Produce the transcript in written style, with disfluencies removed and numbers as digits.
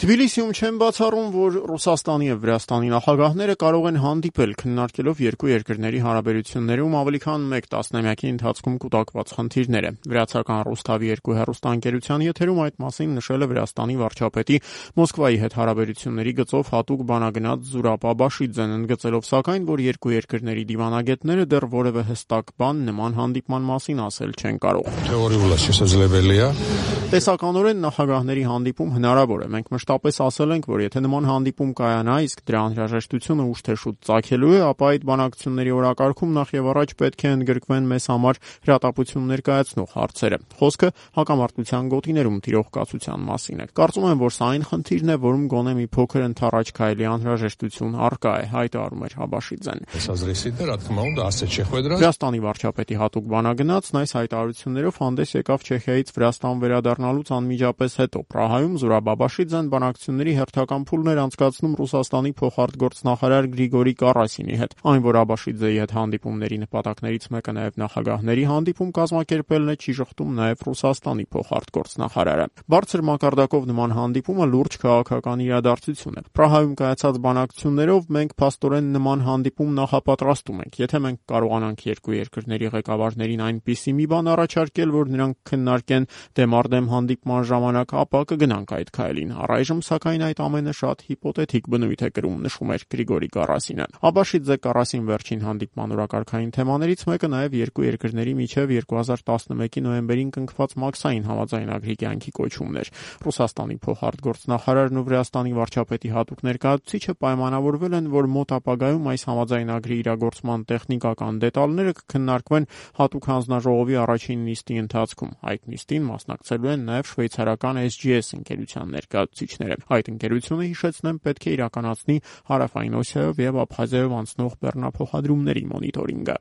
Թբիլիսիում չեն բացառում, որ Ռուսաստանի եւ Վրաստանի նախագահները կարող են հանդիպել, քննարկելով երկու երկրների հարաբերություններում ավելի քան մեկ տասնամյակի ընթացքում կուտակված խնդիրները։ Վրացական Ռուսթավի 2 հեռուստաընկերության եթերում այդ մասին նշել է Վրաստանի վարչապետի Մոսկվայի հետ հարաբերությունների գծով հատուկ բանագնաց Զուրաբ Աբաշիձեն, ընդգծելով սակայն, որ երկու երկրների դիվանագետները դեռ որևէ հստակ բան նման հանդիպման մասին ասել չեն կարող։ Տեսականորեն նախագահների հանդիպում հնարավոր է։ Մենք մշտապես ասել ենք, որ եթե նման հանդիպում կայանա, իսկ դրա անհրաժեշտությունը ուշ թե շուտ ծագելու է, ապա այդ բանակցությունների օրակարգում նախ եւ առաջ պետք է ընդգրկվեն մեզ համար հրատապություն ներկայացնող հարցերը։ Խոսքը հակամարտության գոտիներում տիրող կացության մասին է։ Կարծում եմ, որ սա այն խնդիրն է, որում գոնե մի փոքր ընթառաջ քայլի անհրաժեշտություն առկա է, հայտարարում էր Աբաշիձեն։ Վրաստանի վարչապետի հատուկ բանագնացն այս հայտարարություններով հանդես եկավ Չեխիայից Վրաստան վերադառնալուց անմիջապես հետո։ Պրահայում Զուրաբ Աբաշիձեն բանակցությունների հերթական փուլն էր անցկացնում Ռուսաստանի փոխարտգործնախարար Գրիգորի Կարասինի հետ։ Այն, որ Աբաշիձեի հետ հանդիպումների նպատակներից մեկը նաև նախագահների հանդիպում կազմակերպելն է, չի շղթում նաև Ռուսաստանի փոխարտգործնախարարը։ Բարձր մակարդակով նման հանդիպումը լուրջ քաղաքական իրադարձություն է։ Պրահայում կայացած բանակցություններով մենք փաստորեն նման հանդիպում նախապատրաստում ենք։ Եթե մենք կարողանանք երկու երկրների ղեկավարներին այնպիսի մի բան առաջարկել, որ նրանք քննարկեն դեմարդեմ հանդիպման ժամանակ, ապա կգնանք այդ քայլին։ Առայժմ սակայն այդ ամենը շատ հիպոթետիկ բնույթ է կրում, նշում էր Գրիգորի Կարասինը։ Աբաշիձե Կարասին վերջին հանդիպման օրակարգային թեմաներից մեկը նաև երկու երկրների միջև 2011-ի նոյեմբերին կնքված Մաքսային համաձայնագրի կյանքի կոչումն էր։ Ռուսաստանի փոխարտգործնախարարն ու Վրաստանի վարչապետի հատուկ ներկայացուցիչը պայմանավորվել են, որ մոտ ապագայում այս համաձայնագրի իրագործման տեխնիկական դետալները կքննարկվեն հատուկ հանձնաժողովի առաջին նիստի ընթացքում։ Այդ նիստին մասնակցելու են նաև շվեյցարական SGS ընկերության ներկայացուցիչները։ Այդ ընկերությունը, հիշեցնեմ, պետք է իրականացնի Հարավային Օսիայով եւ Աբխազիայով անցնող բեռնափոխադրումների մոնիտորինգը։